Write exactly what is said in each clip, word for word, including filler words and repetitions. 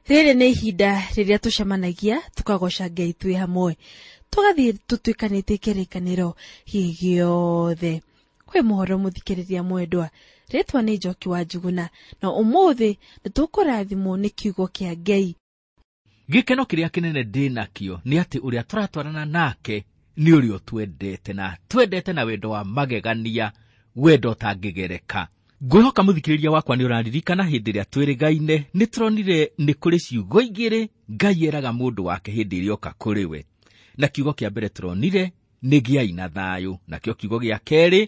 Rĩrĩ nĩ ihinda rĩrĩa tũcemanagia tũkagoca Ngai twĩ hamwe, tũgathiĩ tũtuĩkanĩtie kĩrĩkanĩro gĩothe. Kwĩ mũhoro mũthikĩrĩria mwendwa, rĩtwa nĩ Njoki wa Njuguna, na ũmũthĩ nĩ tũkũrathimwo nĩ kiugo kĩa Ngai. Gĩkeno kĩrĩa kĩnene ndĩ nakĩo nĩ atĩ ũrĩa tũratwarana nake nĩ ũrĩa ũtwendete, na twendete na wendo wa magegania, wendo ũtangĩgereka. Ngwĩhoka mũthikĩrĩria wakwa nĩ ũraririkana hĩndĩ ĩrĩa twĩrĩgaine nĩ tũronire nĩ kũrĩ ciugo igĩrĩ Ngai eraga mũndũ wake hĩndĩ ĩrĩa oka kũrĩ we. Na kiugo kĩa mbere tũronire nĩ gĩai na thayũ, nakĩo kiugo gĩa kerĩ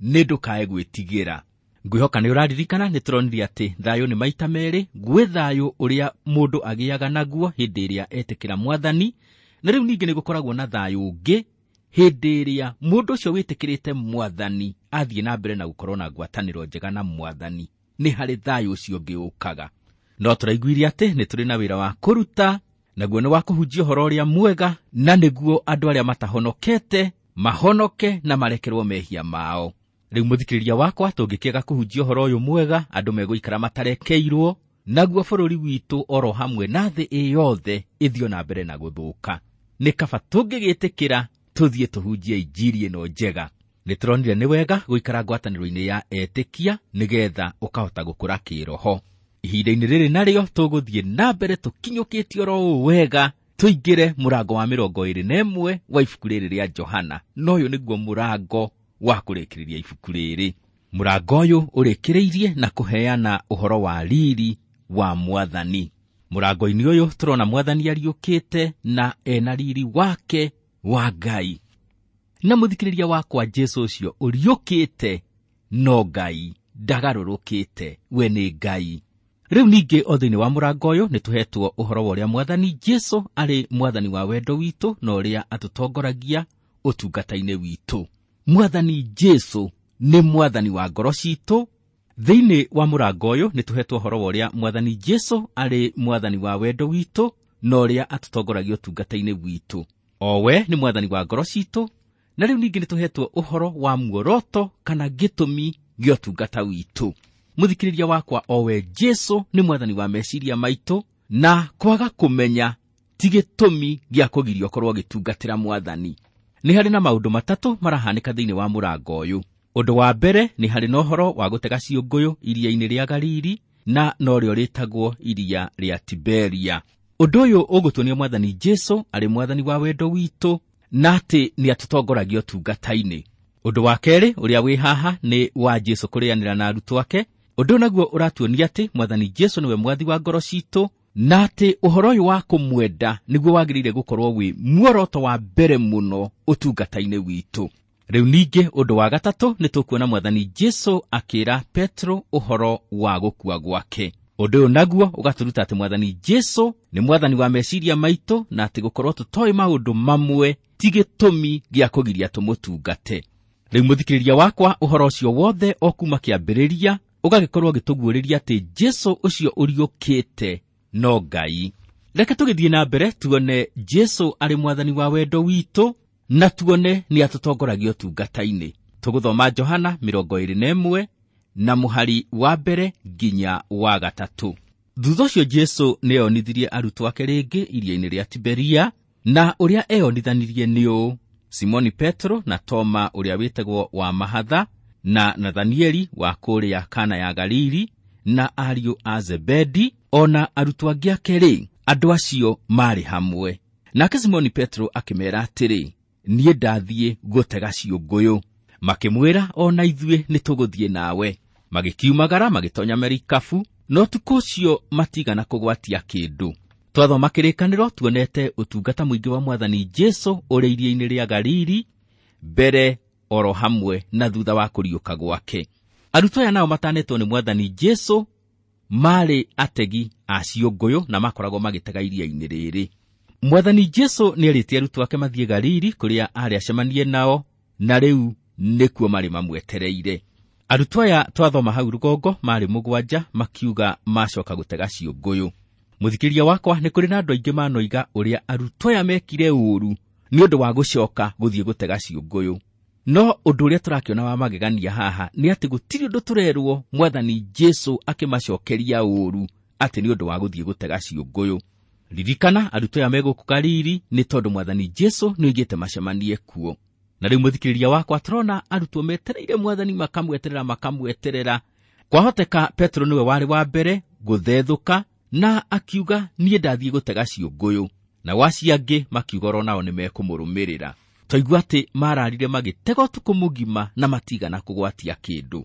nĩ ndũkae gwĩtigĩra. Ngwĩhoka nĩ ũraririkana nĩ tũronire atĩ thayũ nĩ maita merĩ, gwĩ thayũ ũrĩa mũndũ agĩaga naguo hĩndĩ ĩrĩa etĩkĩra mwathani, na rĩu ningĩ nĩ gũkoragwo na thayũ ũngĩ hĩndĩ ĩrĩa mũndũ ũcio wĩtĩkĩrĩte mwathani athiĩ na mbere na gũkorwo na ngwatanĩro njega na mwathani, nĩ harĩ thayũ ũcio ũngĩ ũkaga. No tũraiguire atĩ nĩ tũrĩ na wĩra wa kũruta, naguo nĩ wa kũhunjia ũhoro ũrĩa mwega, na nĩguo andũ arĩa matahonokete mahonoke na marekerwo mehia mao. Rĩu mũthikĩrĩria wakwa, tũngĩkĩaga kũhunjia ũhoro ũyũ mwega, andũ megũikara matarekeirwo, naguo bũrũri witũ oro hamwe na thĩ ĩ yothe ĩthiĩ na mbere na gũthũka. Nĩ kaba tũngĩgĩtĩkĩra tũthiĩ tũhunjie injiri ĩno njega. Nĩ tũronire nĩ wega gũikara ngwatanĩro-inĩ ya etĩkia nĩgetha ũkahota gũkũra kĩroho. Ihinda-inĩ rĩrĩ narĩo tũgũthiĩ na mbere tũkinyũkĩtie oro ũũ wega, tũingĩre mũrango wa mĩrongo ĩrĩ na ĩmwe wa ibuku rĩrĩ rĩa Johana, na ũyũ nĩguo mũrango wa kũrĩkĩrĩria ibuku rĩrĩ. Mũrango ũyũ ũrĩkĩrĩirie na kũheana ũhoro wa riri wa mwathani. Mũrango-inĩ ũyũ tũrona mwathani ariũkĩte na ena riri wake wa Ngai. Na mũthikĩrĩria wakwa, Jesũ ũcio ũriũkĩte no Ngai, ndagarũrũkĩte, we nĩ Ngai. Rĩu ningĩ o thĩinĩ wa mũrango ũyũ nĩ tũhetwo ũhoro wa ũrĩa mwathani Jesũ arĩ mwathani wa wendo witũ na ũrĩa atũtongoragia ũtungata-inĩ witũ. Mwathani Jesũ nĩ mwathani wa ngoro citũ. Thĩinĩ wa mũrango ũyũ nĩ tũhetwo ũhoro wa ũrĩa mwathani Jesũ arĩ mwathani wa wendo witũ na ũrĩa atũtongoragia ũtungata-inĩ witũ. O we nĩ mwathani wa ngoro citũ, na rĩu ningĩ nĩ tũhetwo ũhoro wa muoroto kana gĩtũmi gĩa ũtungata witũ. Mũthikĩrĩria wakwa, o we Jesũ nĩ mwathani wa meciria maitũ, na kwaga kũmenya ti gĩtũmi gĩa kũgiria ũkorwo ũgĩtungatĩra mwathani. Nĩ harĩ na maũndũ matatũ marahanĩka thĩinĩ wa mũrango ũyũ. Ũndũ wa mbere nĩ harĩ na ũhoro wa gũtega ciũngũyũ iria-inĩ rĩa Galili, na norĩo rĩtagwo iria rĩa Tiberia. Ũndũ ũyũ ũgũtuonia mwathani Jesũ arĩ mwathani wa wendo witũ, na atĩ nĩ atũtongoragia ũtungata-inĩ. Ũndũ wa kerĩ ũrĩa wĩ haha nĩ wa Jesũ kũrĩanĩra na arutwo ake. Ũndũ naguo ũratuonia atĩ mwathani Jesũ nĩwe mwathi wa ngoro citũ, na atĩ ũhoro ũyũ wa kũmwenda nĩguo wagĩrĩire gũkorwo wĩ muoroto wa mbere mũno ũtungata-inĩ witũ. Rĩu ningĩ ũndũ wa gatatũ nĩ tũkuona mwathani Jesũ akĩra Petro ũhoro wa gũkua gwake. Ũndũ ũyũ naguo ũgatũruta atĩ mwathani Jesũ nĩ mwathani wa meciria maitũ, na atĩ gũkorwo tũtoĩ maũndũ mamwe ti gĩtũmi gĩa kũgiria tũmũtungate. Rĩu mũthikĩrĩria wakwa, ũhoro ũcio wothe o kuma kĩambĩrĩria ũgagĩkorwo ũgĩtũguũrĩria atĩ Jesũ ũcio ũriũkĩte no Ngai. Reke tũgĩthiĩ na mbere tuone Jesũ arĩ mwathani wa wendo witũ, na tuone nĩ atũtongoragia ũtungata-inĩ. Tũgũthoma Johana mĩrongo ĩrĩ na ĩmwe na mũhari wa mbere nginya wa gatatũ. Thutha ũcio Jesũ nĩeyonithirie arutwo ake rĩngĩ iria-inĩ rĩa Tiberia, na ũrĩa eyonithanirie nĩ ũũ: Simoni Petro na Toma ũrĩa wĩtagwo wa Mahatha, na Nathanieli wa kũrĩa Kana ya Galili, na ariũ a Zebedi, o na arutwo angĩ ake rĩ, andũ acio maarĩ hamwe. Nake Simoni Petro akĩmeera atĩrĩ, niĩ ndathiĩ gũtega ciũngũyũ. Makĩmwĩra, o na ithuĩ nĩ tũgũthiĩ nawe. Magĩkiumagara magĩtonya merikabu, no ũtukũ ũcio matigana kũgwatia kĩndũ. Twathoma kĩrĩkanĩro tuonete ũtungata mũingĩ wa mwathani Jesũ ũrĩ iria-inĩ rĩa Galili, mbere oro hamwe na thutha wa kũriũka gwake. Arutwo aya nao matanetwo nĩ mwathani Jesũ maarĩ ategi a ciũngũyũ na makoragwo magĩtega iria-inĩ rĩrĩ. Mwathani Jesũ nĩerĩte arutwo ake mathiĩ Galili kũrĩa aarĩ acemanie nao, na rĩu nĩkuo marĩ mamwetereire. Arutwo aya twathoma hau rũgongo maarĩ mũgwanja, makiuga macoka gũtega ciũngũyũ. Mũthikĩrĩria wakwa, nĩ kũrĩ na andũ aingĩ manoiga ũrĩa arutwo aya mekire ũũru nĩ ũndũ wa gũcoka gũthiĩ gũtega ciũngũyũ. No ũndũ ũrĩa tũrakĩona wa magegania haha nĩ atĩ gũtirĩ ũndũ tũrerwo mwathani Jesũ akĩmacokeria ũũru atĩ nĩ ũndũ wa gũthiĩ gũtega ciũngũyũ. Ririkana arutwo aya megũkũ Galili nĩ tondũ mwathani Jesu nĩoigĩte macemanie kuo. Na rĩu mũthikĩrĩria wakwa tũrona arutwo metereire mwathani, makamweterera makamweterera. Kwahoteka Petero nĩwe warĩ wa mbere gũthethũka na akiuga niĩ ndathiĩ gũtega ciũngũyũ, na acio angĩ makiuga oro nao nĩmekũmũrũmĩrĩra. Twaigua atĩ mararire magĩtega ũtukũ mũgima na matigana kũgwatia kĩndũ.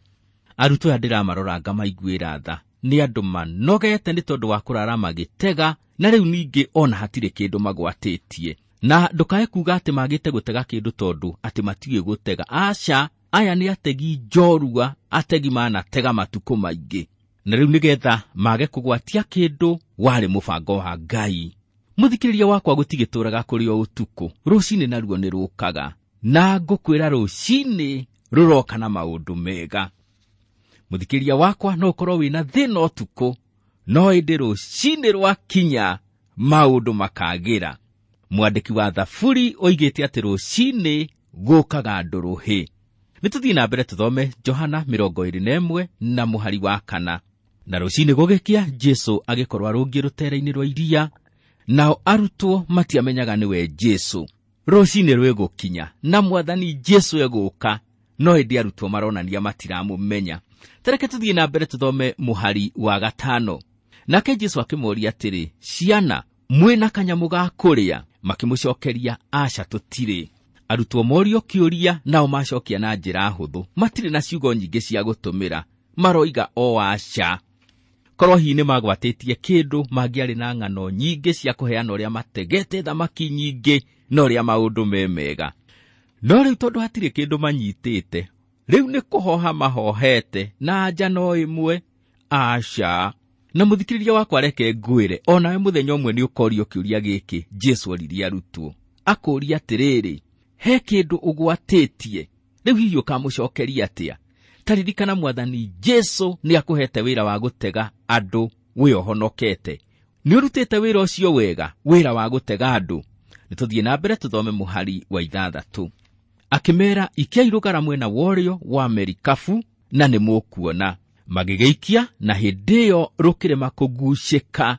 Arutwo aya ndĩramarora ngamaiguĩra tha, nĩ andũ manogete nĩ tondũ wa kũrara magĩtega, na rĩu ningĩ ona hatirĩ kĩndũ magwatĩtie. Na ndũkae kuga atĩ magĩte gũtega kĩndũ tondũ atĩ matiũĩ gũtega. Aca, aya nĩ ategi njorua, ategi manatega matukũ maingĩ, na rĩu nĩgetha mage kũgwatia kĩndũ warĩ mũbango wa Ngai. Mũthikĩrĩria wakwa, gũtigĩtũraga kũrĩ o ũtukũ, rũcinĩ naruo nĩ rũkaga, na ngũkwĩra rũcinĩ rũroka na maũndũ mega. Mũthikĩrĩria wakwa, no ũkorwo wĩna thĩna ũtukũ, no ĩndĩ rũcinĩ rwakinya maũndũ makagĩra. Mwandĩki wa Thaburi oigĩte atĩ rũcinĩ gũkaga ndũrũhĩ. Nĩ tũthiĩ na mbere tũthome Johana mĩrongo ĩrĩ na ĩmwe na mũhari wa kana. Na rũcinĩ gũgĩkĩa, Jesu agĩkorwo arũngiĩ rũtere-inĩ rwa iria, nao arutwo matiamenyaga nĩwe Jesu. Rũcinĩ rwĩgũkinya na mwathani Jesu egũka, no ĩndĩ arutwo maronania matiramũmenya. Tareke tũthiĩ na mbere tũthome mũhari wa gatano. Nake Jesu akĩmoria atĩrĩ, ciana, mwĩna kanyamũ ga kũrĩa? Makĩmũcokeria, aca tũtirĩ. Arutwo morio kĩũria, nao macokia na njĩra hũthũ, matirĩ na ciugo nyingĩ cia gũtũmĩra, maroiga o aca. Korwo hihi nĩ magwatĩtie kĩndũ, mangĩarĩ na ng'ano nyingĩ cia kũheana ũrĩa mategete thamaki nyingĩ na ũrĩa maũndũ me mega. No rĩu tondũ hatirĩ kĩndũ manyitĩte, rĩu nĩ kũhoha mahohete na anja no ĩmwe, aca. Na mũthikĩrĩria wakwa, reke ngwĩre, onawe mũthenya ũmwe nĩ ũkorio kĩũria gĩkĩ Jesu oririe arutwo, akũria atĩrĩrĩ, he kĩndũ ũgwatĩtie? Rĩu hihi ũkamũcokeria atĩa? Ta ririkana mwathani Jesu nĩ akũhete wĩra wa gũtega andũ wĩ ũhonokete. Nĩ ũrutĩte wĩra ũcio wega, wĩra wa gũtega andũ. Nĩ tũthiĩ na mbere tũthome mũhari wa ithathatũ. Akĩmeera, ikiai rũgara mwena wa ũrĩo wa merikabu na nĩ mũkuona. Magĩgĩikia, na hĩndĩ ĩyo rũkĩrema kũgucĩka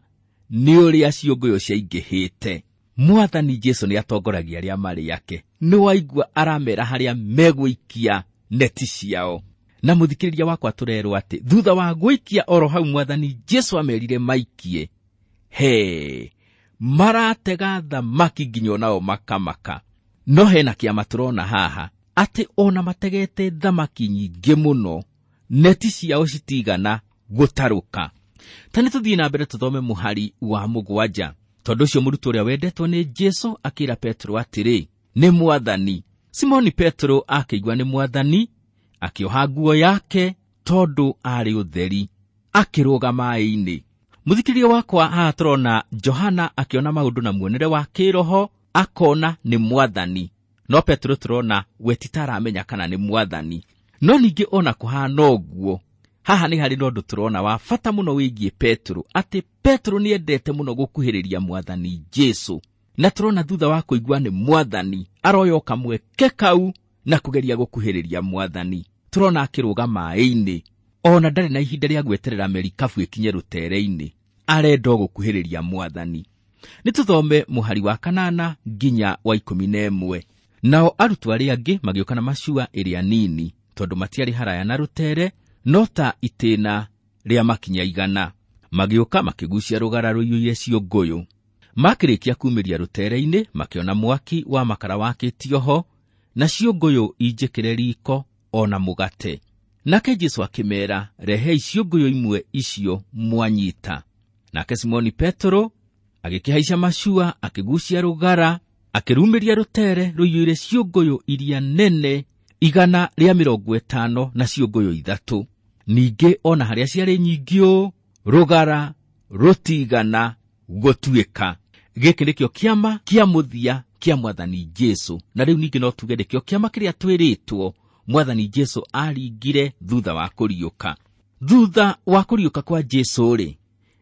nĩ ũrĩa ciũngũyũ ciaingĩhĩte. Mwathani Jesu nĩ atongoragia arĩa marĩ ake. Nĩ waigua aramera harĩa megũikia neti ciao. Na mũthikĩrĩria wakwa, tũrerwo atĩ thutha wa gũikia oro hau mwathani Jesu amerire maikie, he maratega thamaki nginya onao makamaka. No hena kĩama tũrona haha, atĩ ona mategete thamaki nyingĩ mũno, neti ciao citigana gũtarũka. Ta nĩ tũthiĩ na mbere tũthome mũhari wa mũgwanja. Tondũ ũcio mũrutwo ũrĩa wendetwo nĩ Jesu akĩra Petero atĩrĩ, nĩ mwathani. Simoni Petero akĩigua nĩ mwathani, akĩoha nguo yake tondũ arĩ ũtheri, akĩrũga maĩ-inĩ. Mũthikĩrĩria wakwa, haha tũrona Johana akĩona maũndũ na muonere wa kĩroho, akona nĩ mwathani. No Petero tũrona we ti ta aramenya kana nĩ mwathani. No ningĩ ona kũhana ũguo, haha nĩ harĩ na ũndũ tũrona wa bata mũno wĩgiĩ Petero, atĩ Petero nĩendete mũno gũkuhĩrĩria mwathani Jesu. Na tũrona thutha wa kũigua nĩ mwathani, aroya kamweke kau na kũgeria gũkuhĩrĩria mwathani. Tũrona akĩrũga maĩ-inĩ, ona ndarĩ na ihinda rĩa gweterera merikabu ĩkinye rũtere-inĩ, arenda o gũkuhĩrĩria mwathani. Nĩ tũthome mũhari wa kanana nginya wa ikũmi na ĩmwe. Nao arutwo arĩa angĩ magĩũka na macua ĩrĩa nini, tondũ matiarĩ haraya na rũtere, no ta itĩna rĩa makinya igana. Magĩũka makĩgucia rũgara rũiyũire ciũngũyũ. Makĩrĩkia kumĩria rũtere-inĩ, makĩona mwaki wa makara wakĩtio ho, na ciũngũyũ injĩkĩre riko ona mũgate. Nake Jesu akĩmeera, rehei ciũngũyũ imwe icio mwanyita. Nake Simoni Petero agĩkĩhaica macua, akĩgucia rũgara, akĩrumĩria rũtere rũiyũire ciũngũyũ iria nene igana rĩa mĩrongo ĩtano na ciũngũyũ ithatũ. Ningĩ ona harĩa ciarĩ nyingĩ ũũ, rũgara rũtigana gũtuĩka. Gĩkĩ nĩkĩo kĩama kĩa mũthia kĩa mwathani Jesu. Na rĩu ningĩ no tuge nĩkĩo kĩama kĩrĩa twĩrĩtwo mwathani Jesu aringire thutha wa kũriũka. Thutha wa kũriũka kwa Jesu rĩ,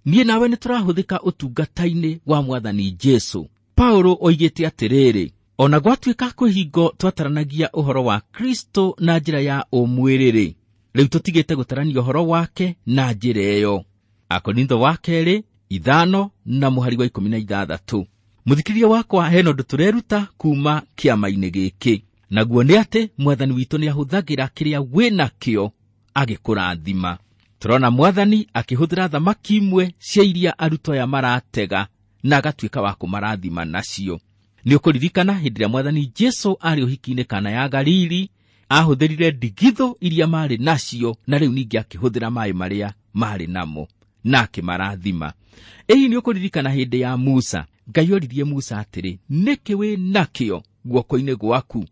niĩ nawe nĩ tũrahũthĩka ũtungata-inĩ wa mwathani Jesu. Paulo oigĩte atĩrĩrĩ, ona gwatuĩka kwĩ hingo twataranagia ũhoro wa Kristo na njĩra ya ũmwĩrĩ-rĩ, rĩu tũtigĩte gũtarania ũhoro wake na njĩra ĩyo. Akorintho wa kerĩ ithano na mũhari wa ikũmi na ithathatũ. Mũthikĩrĩria wakwa, hena ũndũ tũreruta kuma kĩama-inĩ gĩkĩ, naguo nĩ atĩ mwathani witũ nĩahũthagĩra kĩrĩa wĩnakĩo agĩkũrathima. Tũrona mwathani akĩhũthĩra thamaki imwe cia iria arutwo aya maratega na agatuĩka wa kũmarathima nacio. Nĩ ũkũririkana hĩndĩ ĩrĩa mwathani Jesu arĩ ũhiki-inĩ Kana ya Galili, ahũthĩrire ndigithũ iria marĩ nacio na rĩu ningĩ akĩhũthĩra maĩ marĩa marĩ namo na akĩmarathima. Ĩĩ, nĩ ũkũririkana hĩndĩ ya Musa, Ngai oririe Musa atĩrĩ, nĩkĩ wĩ nakĩo guoko-inĩ gwaku?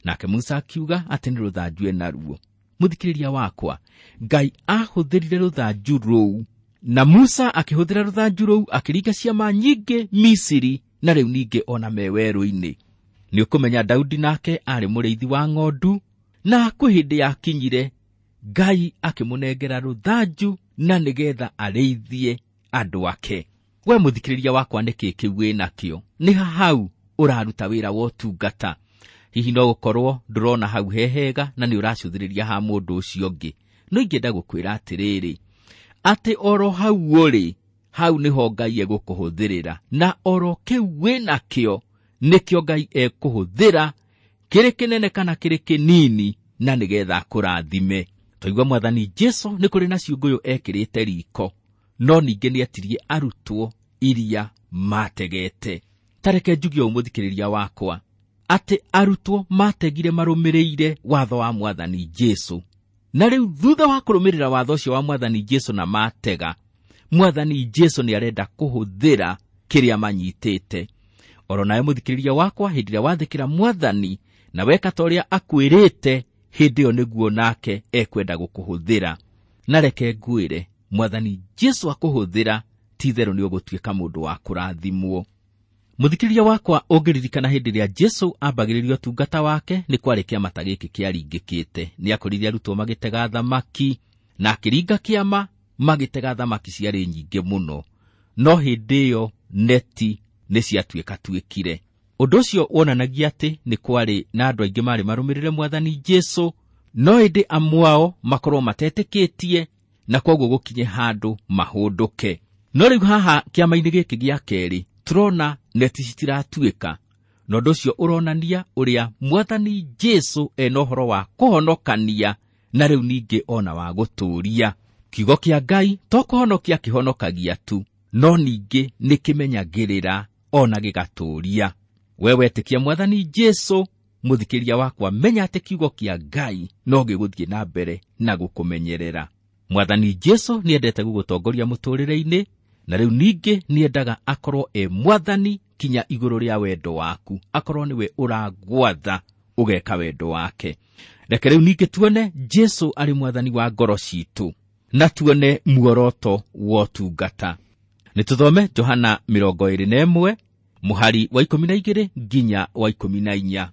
Nake Musa akiuga atĩ nĩ rũthanju enaruo. Mũthikĩrĩria wakwa, Ngai ahũthĩrire rũthanju rũu na Musa akĩhũthĩra rũthanju rũu akĩringa ciama nyingĩ Misiri na rĩu ningĩ ona me werũ-inĩ. Nĩ ũkũmenya Daudi nake arĩ mũrĩithi wa ng'ondu, na kwĩ hĩndĩ yakinyire Ngai akĩmũnengera rũthanju na nĩgetha arĩithie andũ ake. We mũthikĩrĩria wakwa, nĩkĩ kĩu wĩnakĩo? Nĩ hau ũraruta wĩra wa ũtungata. Hihi no gũkorwo ndũrona hau he hega na nĩ ũracũthĩrĩria ha mũndũ ũcio ũngĩ. No ingĩenda gũkwĩra atĩrĩrĩ, atĩ oro hau ũrĩ, hau nĩho Ngai egũkũhũthĩrĩra, na oro kĩu wĩnakĩo nĩkĩo Ngai ekũhũthĩra, kĩrĩ kĩnene kana kĩrĩ kĩnini, na nĩgetha akũrathime. Twaigua mwathani Jesu nĩ kũrĩ na ciũngũyũ ekĩrĩte riko, no ningĩ nĩetirie arutwo iria mategete. Ta reke njuge ũũ mũthikĩrĩria wakwa, atĩ arutwo mategire marũmĩrĩire watho wa mwathani Jesu, na rĩu thutha wa kũrũmĩrĩra watho ũcio wa mwathani Jesu na matega, mwathani Jesu nĩ arenda kũhũthĩra kĩrĩa manyitĩte. Oro nawe mũthikĩrĩria wakwa, hĩndĩ ĩrĩa wathĩkĩra mwathani na weka ta ũrĩa akwĩrĩte, hĩndĩ ĩyo nĩguo nake ekwenda gũkũhũthĩra. Na reke ngwĩre, mwathani Jesu akũhũthĩra, ti itherũ nĩ ũgũtuĩka mũndũ wa kũrathimwo. Mũthikĩrĩria wakwa, ũngĩririkana hĩndĩ ĩrĩa Jesu ambagĩrĩria ũtungata wake, nĩ kwarĩ kĩama ta gĩkĩ kĩaringĩkĩte. Nĩ akorire arutwo magĩtega thamaki, na akĩringa kĩama magĩtega thamaki ciarĩ nyingĩ mũno, no hĩndĩ ĩyo neti nĩ ciatuĩkatuĩkire. Ũndũ ũcio wonanagia atĩ nĩ kwarĩ na andũ aingĩ marĩ marũmĩrĩre mwathani Jesu, no ĩndĩ amwe ao makorwo matetĩkĩtie, na kwoguo gũkinye handũ mahũndũke. No rĩu haha kĩama-inĩ gĩkĩ gĩa kerĩ tũrona neti citiratuĩka, na ũndũ ũcio ũronania ũrĩa mwathani Jesu ena ũhoro wa kũhonokania na rĩu ningĩ ona wa gũtũũria. Kiugo kĩa Ngai to kũhonokia kĩhonokagia tu, no ningĩ nĩ kĩmenyagĩrĩra ona gĩgatũũria. We wetĩkia mwathani Jesu, mũthikĩria wakwa, menya atĩ kiugo kĩa Ngai no gĩgũthiĩ na mbere na gũkũmenyerera. Mwathani Jesu nĩendete gũgũtongoria mũtũũrĩre-inĩ, na rĩu ningĩ nĩendaga akorwo e mwathani kinya igũrũ rĩa wendo waku, akorwo nĩwe ũragwatha ũgeka wendo wake. Reke rĩu ningĩ tuone Jesu arĩ mwathani wa ngoro citũ, na tuone muoroto wa ũtungata. Nĩ tũthome Johana mĩrongo ĩrĩ na ĩmwe mũhari wa ikũmi na igĩrĩ nginya wa ikũmi na inya.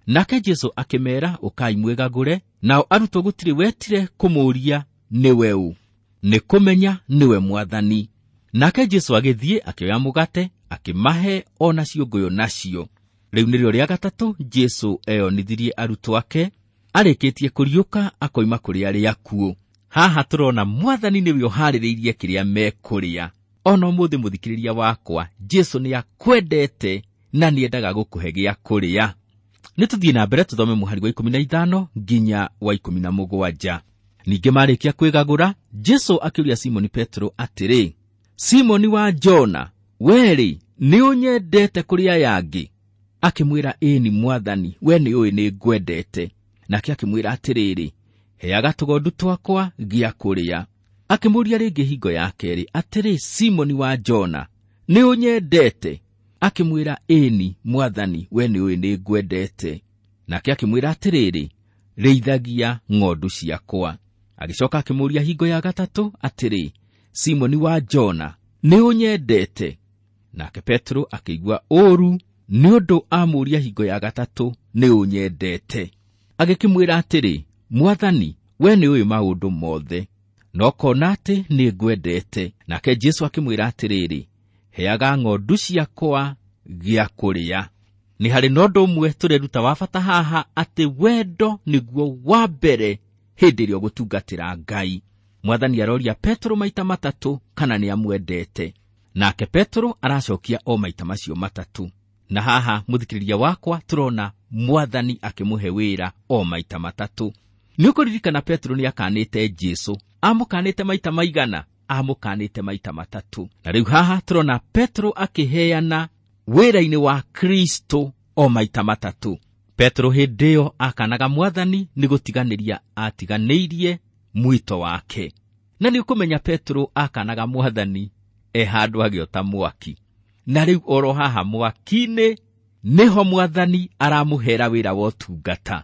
Nake Jesu akĩmeera, ũkai mwĩgagũre. Nao arutwo gũtirĩ wetire kũmũũria nĩwe ũ, nĩ kũmenya nĩwe mwathani. Nake Jesu agĩthiĩ akĩoya mũgate akĩmahe ona ciũngũyũ nacio. Rĩu nĩrĩo rĩa gatatũ Jesu eyonithirie arutwo ake arĩkĩtie kũriũka akoima kũrĩ arĩa akuũ. Haha tũrona mwathani nĩwe ũharĩrĩirie kĩrĩa mekũrĩa. Ona ũmũthĩ mũthikĩrĩria wakwa, Jesu nĩ akwendete na nĩendaga gũkũhe gĩa kũrĩa. Nĩ tũthiĩ na mbere tũthome mũhari wa ikũmi na ithano nginya wa ikũmi na mũgwanja. Ningĩ marĩkia kwĩgagũra, Jesu akĩũria Simoni Petero atĩrĩ, Simoni wa Jona, we-rĩ, nĩ ũnyendete kũrĩ aya angĩ? Akĩmwĩra, ĩni mwathani, we nĩ ũĩ nĩ ngwendete. Nake akĩmwĩra atĩrĩrĩ, heaga tũgondu twakwa gĩa kũrĩa. Akĩmũũria rĩngĩ hingo ya kerĩ atĩrĩ, Simoni wa Jona, nĩ ũnyendete? Akĩmwĩra, ĩni mwathani, we nĩ ũĩ nĩ ngwendete. Nake akĩmwĩra atĩrĩrĩ, rĩithagia ng'ondu ciakwa. Agĩcoka akĩmũũria hingo ya gatatũ atĩrĩ, Simoni wa Jona, nĩ ũnyendete? Nake Petero akĩigua ũũru nĩ ũndũ amũũria hingo ya gatatũ, nĩ ũnyendete? Agĩkĩmwĩra atĩrĩ, Mwathani, we nĩ ũĩ maũndũ mothe, no kona atĩ nĩ ngwendete. Nake Jesu akĩmwĩra atĩrĩrĩ, heaga ng'ondu ciakwa gĩa kũrĩa. Nĩ harĩ na ũndũ ũmwe tũreruta wa bata haha, atĩ wendo nĩguo wa mbere hĩndĩ ĩrĩa ũgũtungatĩra Ngai. Mwathani aroria Petero maita matatũ kana nĩ amwendete, nake Petero aracokia o maita macio matatũ. Na haha mũthikĩrĩria wakwa tũrona mwathani akĩmũhe wĩra o maita matatũ. Nĩ ũkũririkana Petero nĩ akanĩte Jesu, amũkanĩte maita maigana? Amũkanĩte maita matatũ. Na rĩu haha tũrona Petero akĩheana wĩra-inĩ wa Kristo o maita matatũ. Petero hĩndĩ ĩyo akanaga mwathani nĩ gũtiganĩria atiganĩirie mwito wake. Na nĩ ũkũmenya Petero akanaga mwathani e handũ agĩota mwaki. Na rĩu oro haha mwaki-inĩ nĩho mwathani aramũhera wĩra wa ũtungata.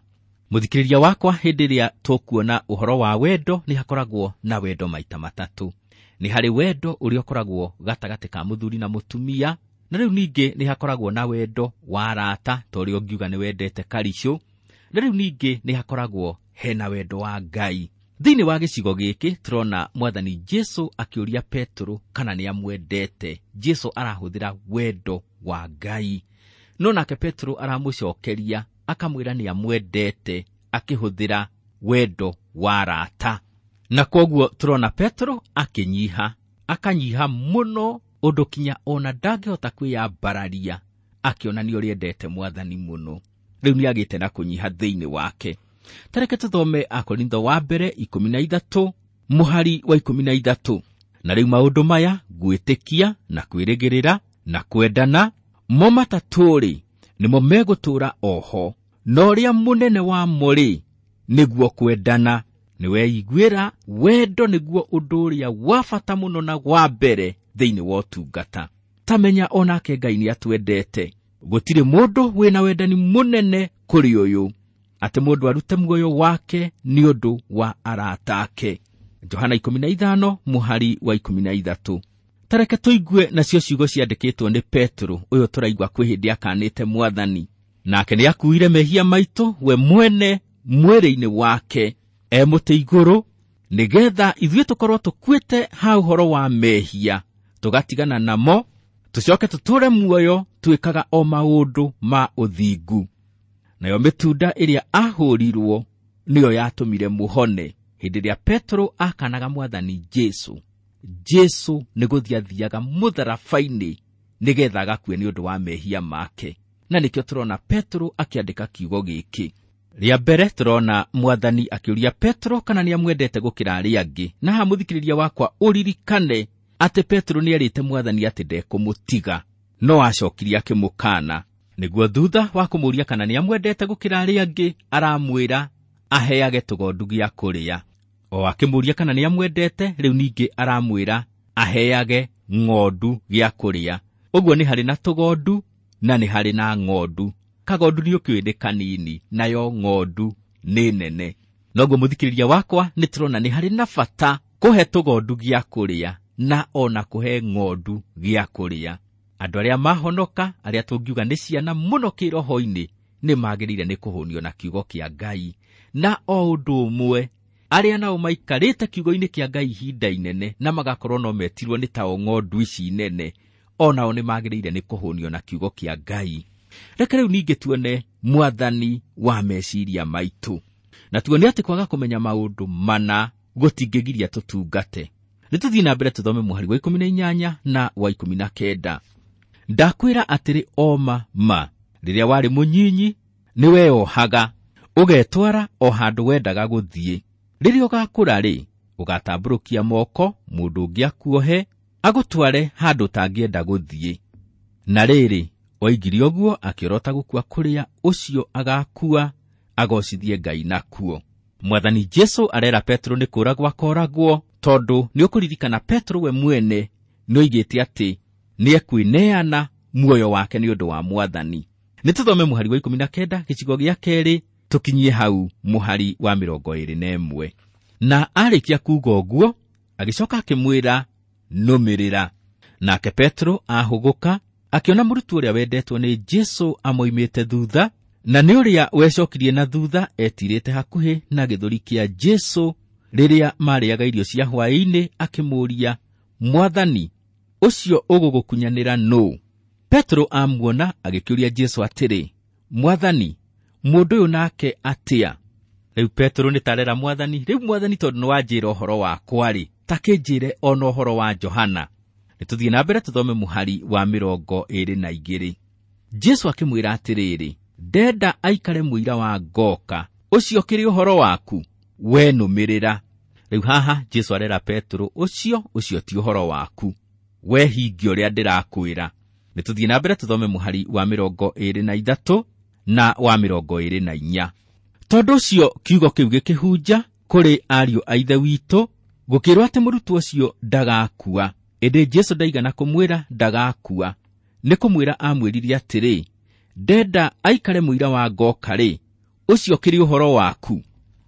Mũthikĩrĩria wakwa, hĩndĩ ĩrĩa tũkuona ũhoro wa wendo nĩ hakoragwo na wendo maita matatũ. Nĩ harĩ wendo ũrĩa ũkoragwo gatagatĩ ka mũthuri na mũtumia, na rĩu ningĩ nĩ hakoragwo na wendo wa arata, ta ũrĩa ũngiuga nĩ wendete karicũ, na rĩu ningĩ nĩ hakoragwo hena wendo wa Ngai. Thĩinĩ wa gĩcigo gĩkĩ tũrona mwathani Jesu akĩũria Petero kana nĩ amwendete. Jesu arahũthĩra wendo wa Ngai, no nake Petero aramũcokeria akamwĩra nĩ amwendete akĩhũthĩra wendo wa arata. Na kwoguo tũrona Petero akĩnyiha, akanyiha mũno ũndũ kinya ona ndangĩhota kwĩyambararia, akĩonania ũrĩa endete mwathani mũno. Rĩu nĩ agĩte na kũnyiha thĩinĩ wake. Tareke tũthome Akorintho wa mbere ikũmi na ithatũ mũhari wa ikũmi na ithatũ. Na rĩu maũndũ maya, gwĩtĩkia na kwĩrĩgĩrĩra na kwendana, mo matatũ-rĩ, nĩmo megũtũũra oho, na ũrĩa mũnene wamo rĩ, nĩguo kwendana. Nĩweiguĩra wendo nĩguo ũndũ ũrĩa wa bata mũno na wa mbere thĩinĩ wa ũtungata. Tamenya onake Ngai nĩ atwendete. Gũtirĩ mũndũ wĩna wendani mũnene kũrĩ ũyũ, atĩ mũndũ arute muoyo wake nĩ ũndũ wa arata ake. Johana ikũmi na ithano mũhari wa ikũmi na ithatũ. Tareke tũigue nacio ciugo ciandĩkĩtwo nĩ Petero, ũyũ tũraigua kwĩ hĩndĩ akanĩte mwathani. Nake nĩ akuire mehia maitũ we mwene mwĩrĩ-inĩ wake e mũtĩ igũrũ, nĩgetha ithuĩ tũkorwo tũkuĩte ha ũhoro wa mehia, tũgatigana namo, tũcoke tũtũũre muoyo twĩkaga o maũndũ ma ũthingu. Nayo mĩtunda ĩrĩa ahũrirwo nĩyo yatũmire mũhone. Hĩndĩ ĩrĩa Petero akanaga mwathani Jesu, Jesu nĩ gũthiĩ athiaga mũtharaba-inĩ nĩgetha agakue nĩ ũndũ wa mehia make. Na nĩkĩo tũrona Petero akĩandĩka kiugo gĩkĩ. Rĩa mbere tũrona mwathani akĩũria Petero kana nĩ amwendete gũkĩra arĩa angĩ. Na haha mũthikĩrĩria wakwa ũririkane atĩ Petero nĩ erĩte mwathani atĩ ndekũmũtiga, no acokirie akĩmũkana. Nĩguo thutha wa kũmũũria kana nĩ amwendete gũkĩra arĩa angĩ, aramwĩra aheage tũgondu gĩa kũrĩa. O akĩmũũria kana nĩ amwendete, rĩu ningĩ aramwĩra aheage ng'ondu gĩa kũrĩa. Ũguo nĩ harĩ na tũgondu na nĩ harĩ na ng'ondu. Kagondu nĩ ũkĩũĩ nĩ kanini, nayo ng'ondu nĩ nene. Noguo mũthikĩrĩria wakwa nĩ tũrona nĩ harĩ na bata kũhe tũgondu gĩa kũrĩa na ona kũhe ng'ondu gĩa kũrĩa. Andũ arĩa mahonoka, arĩa tũngiuga nĩ ciana mũno kĩroho-inĩ, nĩ magĩrĩire nĩ kũhũnio na kiugo kĩa Ngai. Na o ũndũ ũmwe, arĩa nao maikarĩte kiugo-inĩ kĩa Ngai ihinda inene na magakorwo no metirwo nĩ tao ng'ondu ici nene, o nao nĩ magĩrĩire nĩ kũhũnio na kiugo kĩa Ngai. Reke rĩu ningĩ tuone mwathani wa meciria maitũ, na tuone atĩ kwaga kũmenya maũndũ mana gũtingĩgiria tũtungate. Nĩ tũthiĩ na mbere tũthome mũhari wa ikũmi na inyanya na wa ikũmi na kenda. Ndakwĩra atĩrĩ oma ma, rĩrĩa warĩ mũnyinyi nĩ weohaga, ũgetwara o handũ wendaga gũthiĩ. Rĩrĩa ũgakũra rĩ, ũgatambũrũkia moko, mũndũ ũngĩ akuohe, agũtware handũ ũtangĩenda gũthiĩ. Na rĩrĩ, oigire ũguo akĩorota gũkua kũrĩa ũcio agakua, agocithie Ngai nakuo. Mwathani Jesu arera Petero nĩ kũragwo akoragwo, tondũ nĩ ũkũririkana Petero we mwene nĩ oigĩte atĩ nĩ ekwĩneana muoyo wake nĩ ũndũ wa mwathani. Nĩ tũthome mũhari wa ikũmi na kenda gĩcigo gĩa kerĩ, tũkinyie hau mũhari wa mĩrongo ĩrĩ na ĩmwe. Na arĩkia kuuga ũguo, agĩcoka akĩmwĩra, nũmĩrĩra. Nake Petero ahũgũka, akĩona mũrutwo ũrĩa wendetwo nĩ Jesu amoimĩte thutha, na nĩ ũrĩa wecokirie na thutha etirĩte hakuhĩ na gĩthũri kĩa Jesu rĩrĩa marĩaga irio cia hwaĩ-inĩ, akĩmũũria, Mwathani, ũcio ũgũgũkunyanĩra nũ? Petero amuona agĩkĩũria Jesu atĩrĩ, Mwathani, mũndũ ũyũ nake atĩa? Rĩu Petero nĩ tarera mwathani, rĩu mwathani tondũ nĩ wanjĩra ũhoro wakwa rĩ, ta kĩnjĩre ona ũhoro wa Johana. Nĩ tũthiĩ na mbere tũthome mũhari wa mĩrongo ĩĩrĩ na igĩrĩ. Jesũ akĩmwĩra atĩrĩrĩ, ndenda aikare mũira wa ngoka, ũcio kĩrĩ ũhoro waku, we nũmĩrĩra. Rĩu haha Jesũ arera Petero, ũcio ũcio ti ũhoro waku, we hingia ũrĩa ndĩrakwĩra. Nĩ tũthiĩ na mbere tũthome mũhari wa mĩrongo ĩĩrĩ na ithatũ na wa mĩrongo ĩĩrĩ na inya. Tondũ ũcio kiugo kĩu gĩkĩhunja kũrĩ ariũ a ithe witũ, gũkĩrwo atĩ mũrutwo ũcio ndagakua. Ĩndĩ Jesũ ndaigana kũmwĩra ndagakua, nĩ kũmwĩra amwĩrire atĩrĩ, ndenda aikare mũira wa ngoka rĩ, ũcio kĩrĩ ũhoro waku.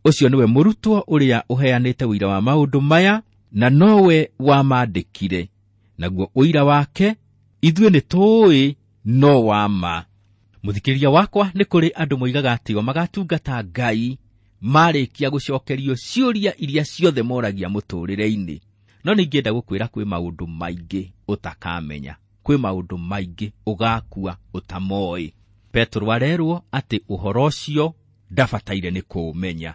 Ũcio nĩwe mũrutwo ũrĩa ũheanĩte ũira wa maũndũ maya, na nowe wamandĩkire. Naguo ũira wake ithuĩ nĩ tũũĩ no wa ma. Mũthikĩrĩria wakwa, nĩ kũrĩ andũ moigaga atĩ o magatungata Ngai marĩkia gũcokerio ciũria iria ciothe moragia mũtũũrĩre-inĩ. No ningĩenda gũkwĩra kwĩ maũndũ maingĩ ũtakamenya, kwĩ maũndũ maingĩ ũgakua ũtamoĩ. Petero arerwo atĩ ũhoro ũcio ndabataire nĩ kũũmenya.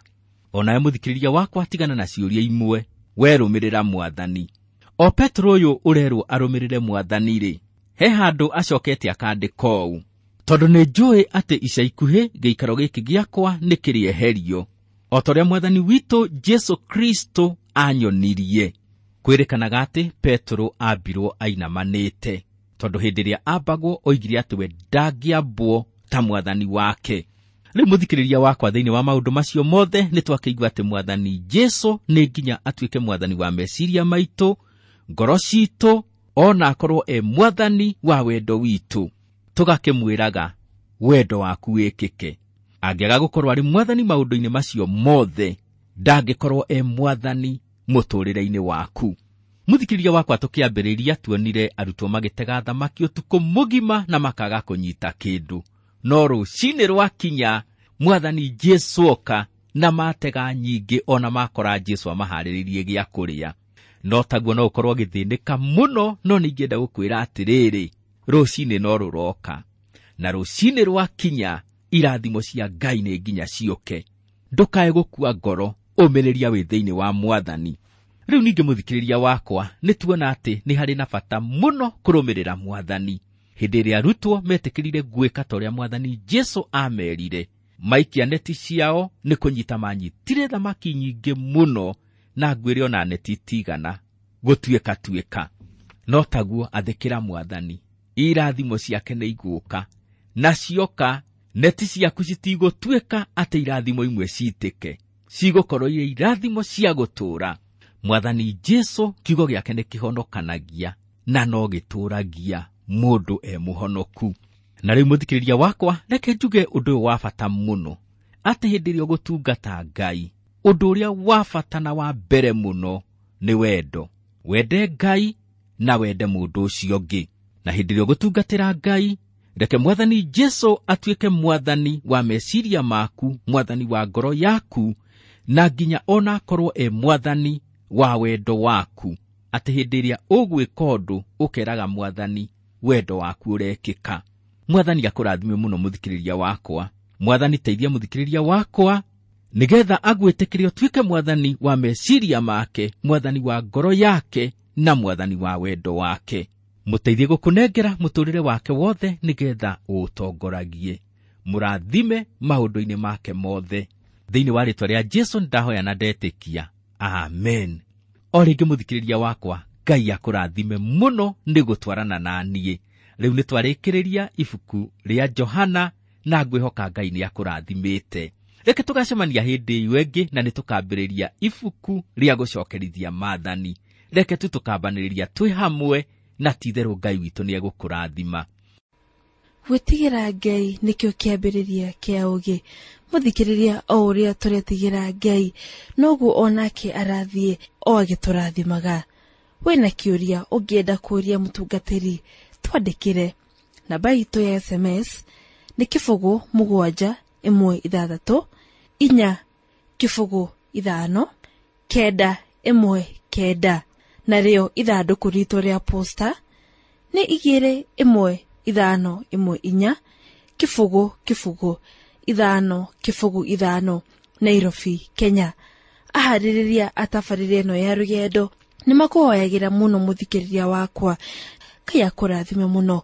Onawe mũthikĩrĩria wakwa, tigana na ciũria imwe, werũmĩrĩra mwathani. O Petero ũyũ ũrerwo arũmĩrĩre mwathani rĩ, he handũ acokete akandĩka ũũ, tondũ nĩ njũĩ atĩ ica ikuhĩ gĩikaro gĩkĩ gĩakwa nĩ kĩrĩeherio, o ta ũrĩa mwathani witũ Jesũ Kristo anyonirie. Kwĩrĩkanaga atĩ Petero ambirwo ainamanĩte, tondũ hĩndĩ ĩrĩa ambagwo oigire atĩ we ndangĩambwo ta mwathani wake. Rĩu mũthikĩrĩria wakwa, thĩinĩ wa maũndũ macio mothe nĩ twakĩigua atĩ mwathani Jesũ nĩ nginya atuĩke mwathani wa meciria maitũ, ngoro citũ, ona akorwo e mwathani wa wendo witũ. Tũgakĩmwĩraga wendo waku wĩkĩke. Angĩaga gũkorwo arĩ mwathani maũndũ-inĩ macio mothe, ndangĩkorwo e mwathani mũtũũrĩre-inĩ waku. Mũthikĩrĩria wakwa, tũkĩambĩrĩria tuonire arutwo magĩtega thamaki ũtukũ mũgima na makaga kũnyita kĩndũ. No rũcinĩ rwakinya mwathani Jesũ oka na matega nyingĩ, ona makora Jesũ amaharĩrĩirie gĩa kũrĩa. No taguo no ũkorwo ũgĩthĩnĩka mũno, no ningĩenda gũkwĩra atĩrĩrĩ, rũcinĩ no rũroka, na rũcinĩ rwakinya irathimo cia Ngai nĩ nginya ciũke. Ndũkae gũkua ngoro, ũmĩrĩria wĩ thĩinĩ wa mwathani. Rĩu ningĩ mũthikĩrĩria wakwa, nĩ tuona atĩ nĩ harĩ na bata mũno kũrũmĩrĩra mwathani. Hĩndĩ ĩrĩa arutwo metĩkĩrire gwĩka ta ũrĩa mwathani Jesũ amerire, maikia neti ciao nĩ kũnyita manyitire thamaki nyingĩ mũno, na ngwĩre ona neti itigana gũtuĩka tuĩka. No taguo athĩkĩra mwathani, irathimo ciake nĩ igũka, na cioka neti ciaku citigũtuĩka atĩ irathimo imwe citĩke, cigũkorwo irĩ irathimo cia gũtũũra. Mwathani Jesũ kiugo gĩake nĩ kĩhonokanagia na no gĩtũũragia mũndũ e mũhonoku. Na rĩu mũthikĩrĩria wakwa, reke njuge ũndũ ũyũ wa bata mũno, atĩ hĩndĩ ĩrĩa ũgũtungata Ngai, ũndũ ũrĩa wa bata na wa mbere mũno nĩ wendo. Wende Ngai na wende mũndũ ũcio ũngĩ. Na hĩndĩ ĩrĩa ũgũtungatĩra Ngai, reke mwathani Jesũ atuĩke mwathani wa meciria maku, mwathani wa ngoro yaku, na nginya ona akorwo e mwathani wa wendo waku. Atĩ hĩndĩ ĩrĩa ũgwĩka ũndũ, ũkeraga mwathani wendo waku ũrekĩka. Mwathani akũrathime mũno mũthikĩrĩria wakwa. Mwathani teithia mũthikĩrĩria wakwa nĩgetha agwĩtĩkĩre ũtuĩke mwathani wa meciria make, mwathani wa ngoro yake, na mwathani wa wendo wake. Mũteithie gũkũnengera mũtũũrĩre wake wothe nĩgetha ũũtongoragie. Mũrathime maũndũ-inĩ make mothe. Thĩinĩ wa rĩĩtwa rĩa Jesũ ndahoya na ndetĩkia. Amen. O rĩngĩ mũthikĩrĩria wakwa, Ngai akũrathime mũno nĩ gũtwarana na niĩ. Rĩu nĩ twarĩkĩrĩria ibuku rĩa Johana, na ngwĩhoka Ngai nĩ akũrathimĩte. Reke tũgacemania hĩndĩ ĩyo ĩngĩ, na nĩ tũkambĩrĩria ibuku rĩa gũcokerithia maathani. Reke tu tũkambanĩrĩria twĩ hamwe, na ti-itherũ Ngai witũ nĩ egũkũrathima. Gwĩtigĩra Ngai nĩkĩo kĩambĩrĩria kĩa ũũgĩ. Mũthikĩrĩria, o ũrĩa tũretigĩra Ngai, noguo onake arathiĩ o agĩtũrathimaga. Wĩna kĩũria ũngĩenda kũũria mũtungatĩri, twandĩkĩre. Namba itũ ya S M S nĩ kĩbũgũ mũgwanja ĩmwe ithathatũ inya kĩbũgũ ithano kenda ĩmwe kenda, narĩo ithandũkũ ritũ rĩa posta nĩ igĩrĩ ĩmwe ithano ĩmwe inya kĩbũgũ kĩbũgũ ithano kĩbũgũ ithano, Nairobi, Kenya. Aharĩrĩria a tabarĩra ĩno ya rũgendo nĩ makũhoyagĩra mũno mũthikĩrĩria wakwa. Ngai akũrathime mũno.